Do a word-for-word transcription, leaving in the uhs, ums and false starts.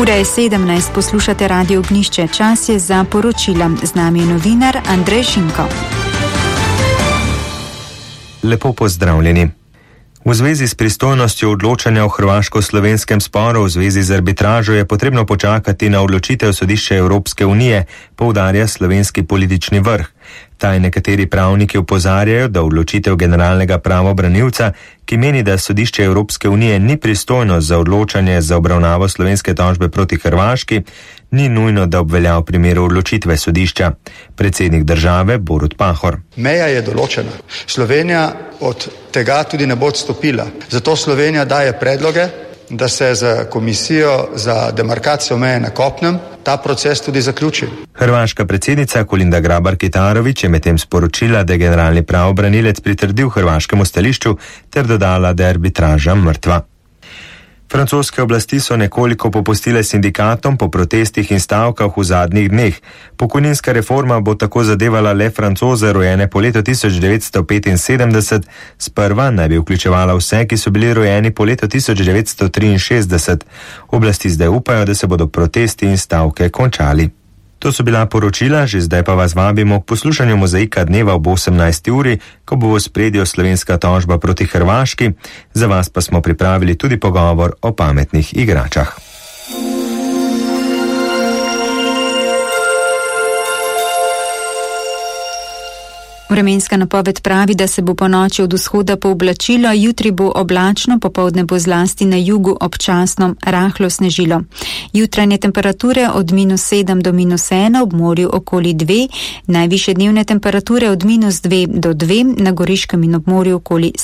Ura je sedemnajst, poslušate Radio Ognjišče. Čas je za poročila. Z nami je novinar Andrej Šinko. Lepo pozdravljeni. V zvezi s pristojnostjo odločanja o hrvaško-slovenskem sporu v zvezi z arbitražo je potrebno počakati na odločitev sodišča Evropske unije, poudarja slovenski politični vrh. Taj nekateri pravniki opozarjajo, da odločitev generalnega pravobranilca, ki meni, da sodišče Evropske unije ni pristojno za odločanje za obravnavo slovenske tožbe proti Hrvaški, ni nujno, da obvelja v primeru odločitve sodišča. Predsednik države Borut Pahor. Meja je določena. Slovenija od tega tudi ne bo odstopila. Zato Slovenija daje predloge, da se za komisijo za demarkacijo meje na kopnem ta proces tudi zaključi. Hrvaška predsednica Kolinda Grabar-Kitarović je medtem sporočila, da je generalni pravobranilec pritrdil hrvaškemu stališču ter dodala, da je arbitraža mrtva. Francoske oblasti so nekoliko popustile sindikatom po protestih in stavkah v zadnjih dneh. Pokojninska reforma bo tako zadevala le Francoze, rojene po letu tisoč devetsto petinsedemdeset, sprva naj bi vključevala vse, ki so bili rojeni po letu tisoč devetsto triinšestdeset. Oblasti zdaj upajo, da se bodo protesti in stavke končali. To so bila poročila, že zdaj pa vas vabimo k poslušanju Mozaika dneva ob osemnajsti uri, ko bo v ospredju slovenska tožba proti Hrvaški. Za vas pa smo pripravili tudi pogovor o pametnih igračah. Vremenska napoved pravi, da se bo po noči od vzhoda pooblačilo, jutri bo oblačno, popoldne bo zlasti na jugu občasno rahlo snežilo. Jutranje temperature od minus sedem do minus ena, ob morju okoli dve, najvišje dnevne temperature od minus dve do dve, na Goriškem in ob morju okoli sedem.